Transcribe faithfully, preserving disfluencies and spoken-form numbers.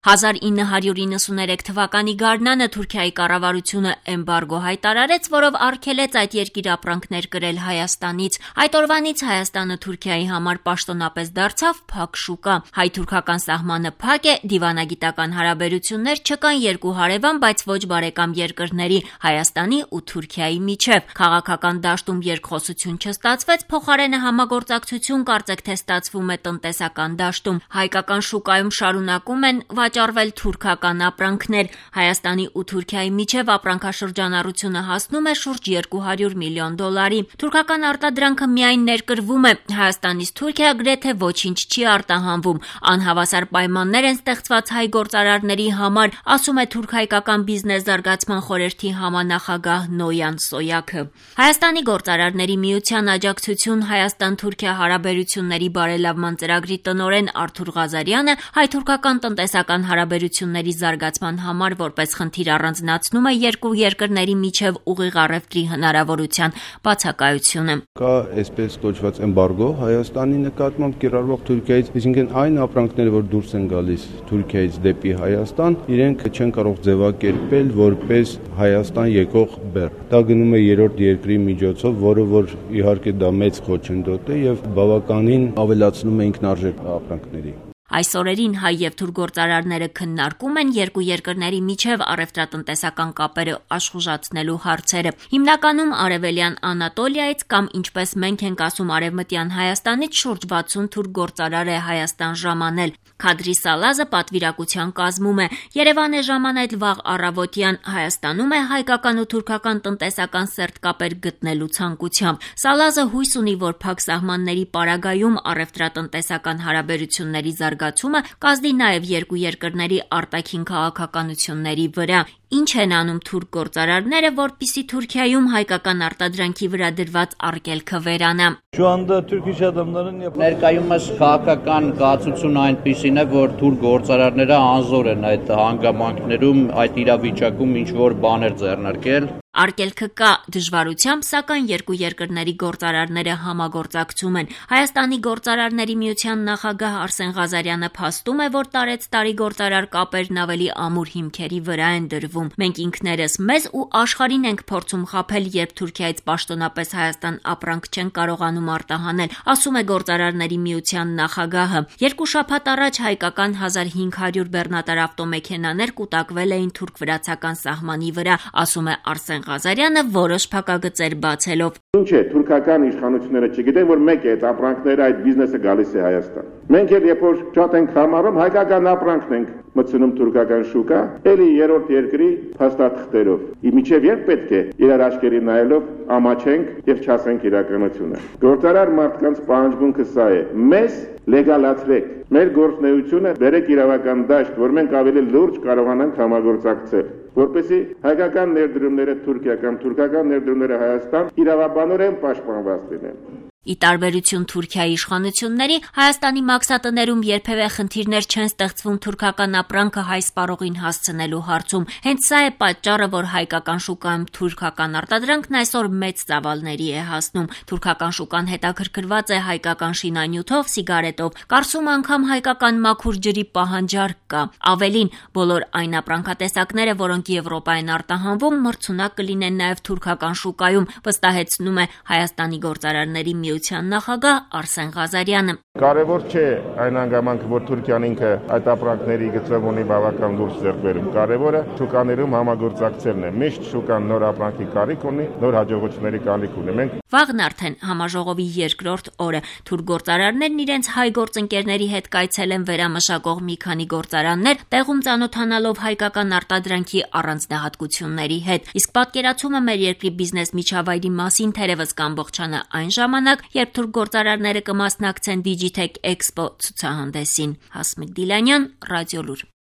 հազար ինը հարյուր իննսուներեք թվականի գարնանը Թուրքիայի կառավարությունը էմբարգո հայտարարեց, որով արգելեց այդ երկիր ապրանքներ կրել Հայաստանից։ Այդ օրվանից Հայաստանը Թուրքիայի համար պաշտոնապես դարձավ փակ շուկա։ Հայ-թուրքական սահմանը փակ է, դիվանագիտական հարաբերություններ չկան երկու հարևան, բայց ոչ բարեկամ երկրների՝ Հայաստանի ու Թուրքիայի միջև։ Քաղաքական դաշտում երկխոսություն չստացվեց, փոխարենը համագործակցություն կարծեք թե ստացվում է տնտեսական դաշտում։ Հայկական շուկայում շարունակում են վաճառվել թուրքական ապրանքներ։ Հայաստանի ու Թուրքիայի միջև ապրանքաշրջանառությունը հասնում է շուրջ երկու հարյուր միլիոն դոլարի։ Թուրքական արտադրանքը միայն ներկրվում է, Հայաստանից Թուրքիա գրեթե ոչինչ չի արտահանվում։ Անհավասար պայմաններ են ստեղծված հայ գործարարների համար, ասում է Թուրք-հայկական բիզնես զարգացման խորհրդի համանախագահ Նոյան Սոյակը։ Հայաստանի գործարարների միության աջակցություն Հայաստան-Թուրքիա հարաբերությունների բարելավման ծրագրի տնօրեն Արթուր Ղազարյանը հայ-թուրքական տնտեսական հարաբերությունների զարգացման համար որպես խնդիր առանձնացնում է երկու երկրների միջև ուղիղ առևտրի հնարավորության բացակայությունը։ Կա այսպես կոչված էմբարգո Հայաստանի նկատմամբ կիրառվող Թուրքիայից, այսինքն այն ապրանքները, որ դուրս են գալիս Թուրքիայից դեպի Հայաստան, իրենք չեն կարող ձևակերպել որպես Հայաստան եկող բեռ։ Դա գնում է երրորդ երկրի միջոցով, որը որ իհարկե դա մեծ խոչընդոտ է եւ բավականին ավելացնում է ինքնարժեք ապրանքների։ Այս օրերին հայ եւ թուրք գործարարները քննարկում են երկու երկրների միջև առևտրատնտեսական կապերը աշխուժացնելու հարցերը։ Հիմնականում արևելյան Անատոլիայից կամ ինչպես մենք ենք ասում արևմտյան Հայաստանից շուրջ վաթսուն թուրք գործարար է Հայաստան ժամանել։ Քադրի Սալազը պատվիրակության կազմում է։ Երևան է ժամանել վաղ առավոտյան, Հայաստանում է հայկական ու թուրքական տնտեսական սերտ կապեր գտնելու ցանկությամբ։ Սալազը հույս ունի, որ փակ սահմանների պարագայում առևտրատնտեսական հարաբերությունների զարգացումը կազդի նաև երկու երկրների արտաքին քաղաքականությունների վրա։ Ինչ են անում թուրք գործարարները, որպեսզի Թուրքիայում հայկական արտադրանքի վրա դրված արգելքը վերանա։ Ներկայումս քաղաքական կացությունը այնպիսին է, որ թուրք գործարարները անզոր են այդ հանգամանքներում, այդ իրավիճակում ինչ որ բաներ ձեռնարկել։ Արգելքը կա դժվարությամբ, սակայն երկու երկրների գործարարները համագործակցում են։ Հայաստանի գործարարների միության նախագահ Արսեն Ղազարյանը փաստում է, որ տարեց-տարի գործարար կապերն ավելի ամուր հիմքերի վրա են դրվում։ Մենք ինքներս մեզ ու աշխարհին ենք փորձում խաբել, երբ Թուրքիայից պաշտոնապես Հայաստան ապրանք չեն կարողանում արտահանել, ասում է գործարարների միության նախագահը։ Երկու շաբաթ առաջ հայկական հազար հինգ հարյուր բեռնատար ավտոմեքենաներ կուտակվել էին թուրք-վրացական սահմանի վրա, ասում է Արսեն Ղազարյանը որոշ փակագծեր բացելով։ Ինչ է թուրքական իշխանությունները չգիտեն, որ մեկ է այդ ապրանքները, այդ բիզնեսը գալիս է Հայաստան։ Մենք էլ երբ որ շատ ենք համարում, հայկական ապրանքն ենք մտցնում թուրքական շուկա, ելի երրորդ երկրի փաստաթղթերով։ Իմիջև երբ պետք է իրար աչքերի նայելով ամաչենք եւ չասենք իրականությունը։ Գործարար մարդկանց պահանջմունքը սա է. մեզ լեգալացրեք, մեր գործունեությունը բերեք իրավական դաշտ, որ մենք ավելի լուրջ կարողանանք համագործակցել, որպեսզի հայկական ներդրումները Թուրքիա կամ թուրքական ներդրումները Հայաստան իրավաբանորեն պաշտպանված լինեն։ Ի տարբերություն Թուրքիայի իշխանությունների, Հայաստանի մաքսատներում երբևէ խնդիրներ չեն ստեղծվում թուրքական ապրանքը հայ սպառողին հասցնելու հարցում։ Հենց սա է պատճառը, որ հայկական շուկայում թուրքական արտադրանքն այսօր մեծ ծավալների է հասնում։ Թուրքական շուկան հետաքրքրված է հայկական շինանյութով, սիգարետով, կարծում անգամ հայկական մաքուր ջրի պահանջարկ կա։ Ավելին, բոլոր այն ապրանքատեսակները, որոնք Եվրոպա են արտահանվում, մրցունակ կլինեն նաև թուրքական շուկայում, վստահեցնում է Հայաստանի գործարարների միության նախագահ Արսեն Ղազարյանը։ Կարևոր չէ այն հանգամանքը, որ Թուրքիան ինքը այդ ապրանքների գծով ունի բավական լուրջ ձեռքբերում։ Կարևորը շուկաներում համագործակցելն է։ Միշտ շուկան նոր ապրանքի կարիք ունի, նոր հաջողությունների կարիք ունի։ Մենք Վաղն արդեն համաժողովի երկրորդ օրը թուրք գործարարներն իրենց հայ գործընկերների հետ կայցել են վերամշակող մի քանի գործարաններ, տեղում ծանոթանալով հայկական արտադրանքի առանձնահատկությունների հետ։ Իսկ պատկերացումը մեր երկրի բիզնես միջավայրի մասին թերևս կամբողջանա այն ժամանակ, երբ թուրք գործարարները կմասնակցեն Digitech Expo ցուցահանդեսին։ Հասմիկ Դիլանյան, Ռադիոլուր։